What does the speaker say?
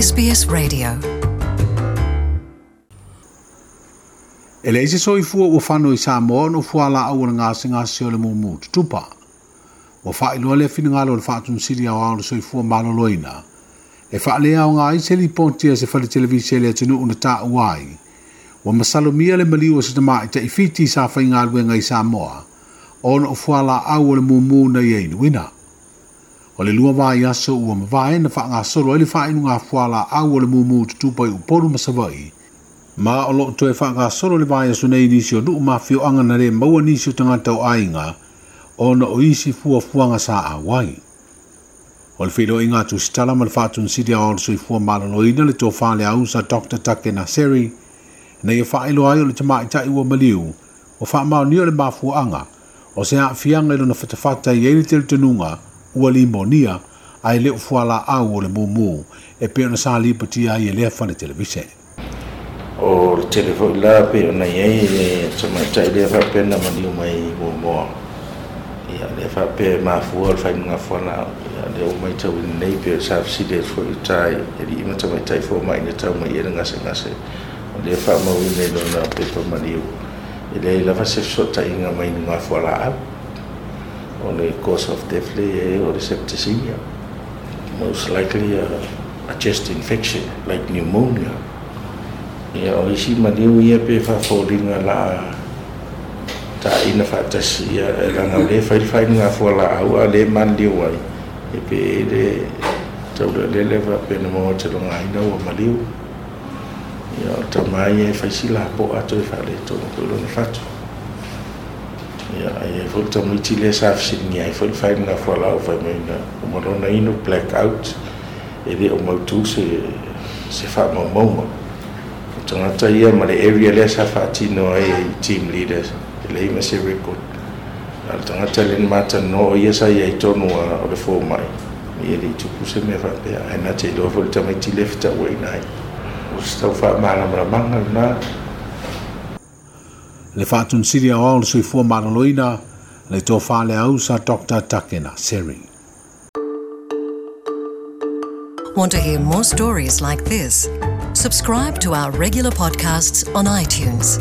SBS Radio. E leai se soifua ua fano i Samoa ona o fualaau o le gasegase o le mumu tutupa. Ua faailoa lea finagalo o le Faatonusili Aoao o le Soifua Maloloina e faaleaoga ai se lipoti a se fale televise le atunuu na taua ai. Ua masalomia le maliu o se tamaitai Fiti sa faigaluega i Samoa ona o fualaau o le mumu na ia inuina. O le 2 vaiaso ua mavae na faagasolo ai le faainuga fualaau o le mumu tutupa i Upolu ma Savaii. Ma o loo toe faagasolo le vaiaso nei nisi o nuu ma afioaga na le maua nisi o tagata o aiga ona o isi fuafuaga sa auai. O le feiloaiga a tusitala ma le Faatonusili Aoao o le Soifua Maloloina le tofa le ausa Dr. Take Naseri na ia faailoa ai o le tamaitai ua maliu ua faamaonia o le mafuaaga o se aafiaga i lona fatafata i ai le talitonuga ua limonia ae le o fualaau o le mumu e pei ona sa lipotia ai e lea fale televise. O le tele foi la pei ona i ai le tamaitai lea faapea na maliu mai muamua. Ia, lea faapea e mafua o le faainuga fualaau. Ia, lea ua matauina nei pei o sa fesili atu foi i uta i alii ma tamaitai fomai na tau mai ai le gasegase. O lea faamauina i lona pepa maliu. E leai lava se fesootaiga mai inuga fualaau. O le cause of death lea i ai o le septicemia. Most likely a chest infection like pneumonia. Ia, o isi maliu ia pe faafoliga la taina faatasi, ia, e leaga o lea e fai le faainuga fualaau a o lea e maliliu ai, e pe i le taulealele faapea na maua talogaina ua maliu. Ia, o tama ia e fai si lapoa toe faaletonu foi lona fatu. Ia, ai ai foi le tamaiti lea sa fesiligia ai foi le faainuga fualaau fai mai na uma lona inu black out, e le o mautu se faamaumauga. O tagata ia ma le area lea sa faatino ai e team leaders, e leai ma se record. A o le tagata lea na matalanoa o ia sa i ai tonu o le fomai, ia e le i tupu se mea faapea, ae na te iloa foi le tamaiti lea fetauaiga ai. O se tau faamalamalamaga lena. Le Faatonusili Aoao o le Soifua Maloloina, le tofa le ausa Dr. Takena Seri. Want to hear more stories like this? Subscribe to our regular podcasts on iTunes.